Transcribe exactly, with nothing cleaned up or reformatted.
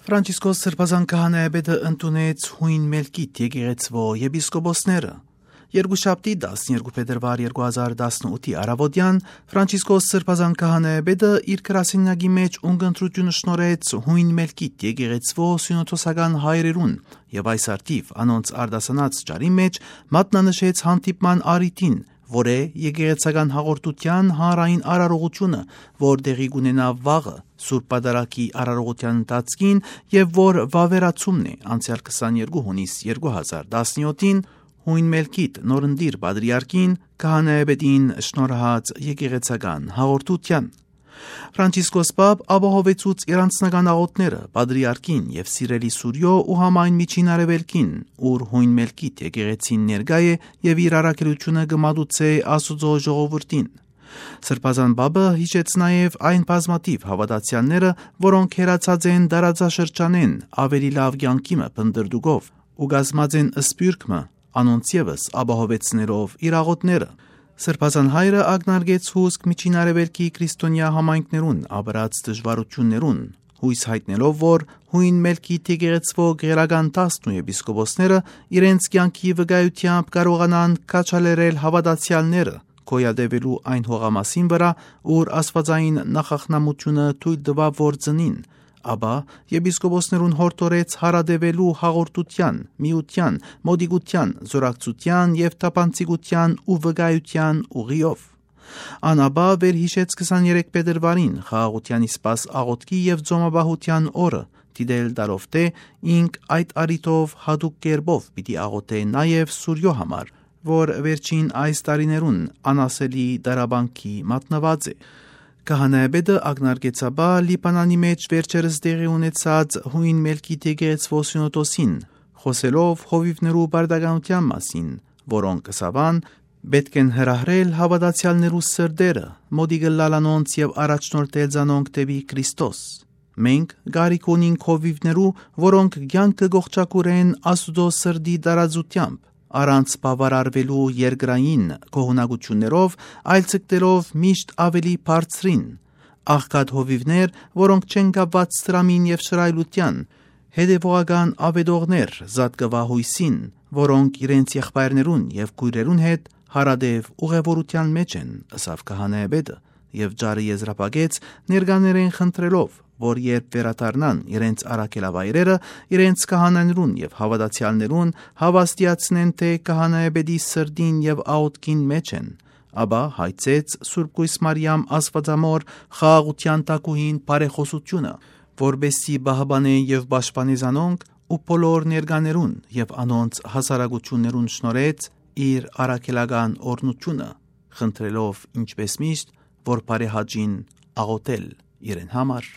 Ֆրանցիսկոս Սրբազան քահանայապետը ընդունեց հույն Մելկիտ եկեղեցվո եպիսկոպոսները։ Երկուշաբթի տասներկու փետրվար երկու հազար տասնութի առավոտյան Ֆրանցիսկոս Սրբազան քահանայապետը իր գրասենյակի մեջ ունկնդրությունը շնորհեց հույն Մելկիտ եկեղեցվո սյունոթոսական հայրերուն եւ այս արդիվ անոնց արդասանած ճարի մեջ մատնանշեց հանդիպման առիթին, որ է եկեղեցական հաղորդության հանրային արարողությունը, որ տեղի կունենա վաղը Սուրբ Պատարագի արարողության ընթացքին եւ որ վավերացումն է անցյալ քսաներկու հունիս երկու հազար տասնյոթին հույն Մելկիտ նորնդիր պատրիարքին քահանայապետին շնորհած եկեղեցական հաղորդության։ Ֆրանցիսկոս Պապ ապահովեցուց իր անձնական աղոթները պատրիարքին եւ սիրելի Սուրյո ու համայն միջին արևելքին, ուր հույն Մելկիտ եկեղեցին ներկա է եւ իր առաքելությունը կմատուցե Աստուծո ժողովրդին։ Սրբազան Պապը հիշեց նաեւ այն բազմաթիվ հավատացյալները, որոնք հերացած են դարաձաշրջանեն ավելի լավ կյանքի մը փնտրդուկով ու գազմած են սպյուրքմը անոնց եւս ապահովեցներով իր աղոթները։ Սրբազան հայրը ակնարկեց հուսք միջին արևելքի քրիստոնյա համայնքներուն ապրած դժվարություններուն, հույս հայտնելով, որ հույն Մելկիտ եկեղեցվո գերական տասն եպիսկոպոսները իրենց կյանքի վկայությամբ կարողանան քաջալերել հավատացյալները գոյատևելու այն հողամասին վրա, ուր աստվածային նախախնամությունը թույլ տվավ որ ծնին, ապա եպիսկոպոսներուն հորդորեց հարադևելու հաղորդության, միության, մոդիկության, զորակցության եւ թափանցիկության ու վկայության ուղիով։ Անաբա վերհիշեց քսաներեք փետրվարին խաղաղության իսպաս աղոթքի եւ ձոմաբահության օրը, դիտել դարով թե ինք այդ արիտով հատուկ կերպով պիտի աղոթե նաեւ Սուրյո համար, որ վերջին այս տարիներուն անասելի դարաբանքի մատնված է։ Քահանայապետը ակնարկեցաբա Լիբանանի մեջ վերջերս տեղի ունեցած հույն Մելկիտ եկեղեցվո սյունոթոսին, խոսելով հովիվներու բարդականության մասին, որոնք կսավան պետք են հրահրել հավատացյալներու սրտերը, մոդիկը լալանոնց եւ առաջնորդել զանոնք դեպի Քրիստոս։ Մենք գարիք ունենք հովիվներու, որոնք կյանքը գողջակուրեն Աստուծո սրտի տարածությամբ, առանց բավարարվելու երկրային գոհունակություններով, այլ ցկտերով միշտ ավելի բարձրին, աղքատ հովիվներ, որոնք չեն կապված սրամին եւ շռայլության, հետևողական ավետողներ զատկվա հույսին, որոնք իրենց եղբայրներուն եւ քույրերուն հետ հարադեվ ուղևորության մեջ են, ըսավ քահանայապետը, եւ ջարը եզրափակեց ներկաներեն խնդրելով, որ երբ վերադառնան իրենց առաքելավայրերը, իրենց քահանաներուն եւ հավատացյալներուն հավաստիացնեն, թե քահանայապետի սրտին եւ աղոթքին մեջ են, ապա հայցեց Սուրբ Կույս Մարիամ Աստվածամոր խաղաղության տակուհին բարեխոսությունը, որբեսի բահբանե եւ պաշտպանի զանոնք ու բոլոր ներկաներուն եւ անոնց հասարակություններուն շնորհեց իր առաքելական օրնությունը, խնդրելով ինչպես միշտ, որ բարեհաճին աղոթել իրեն համար։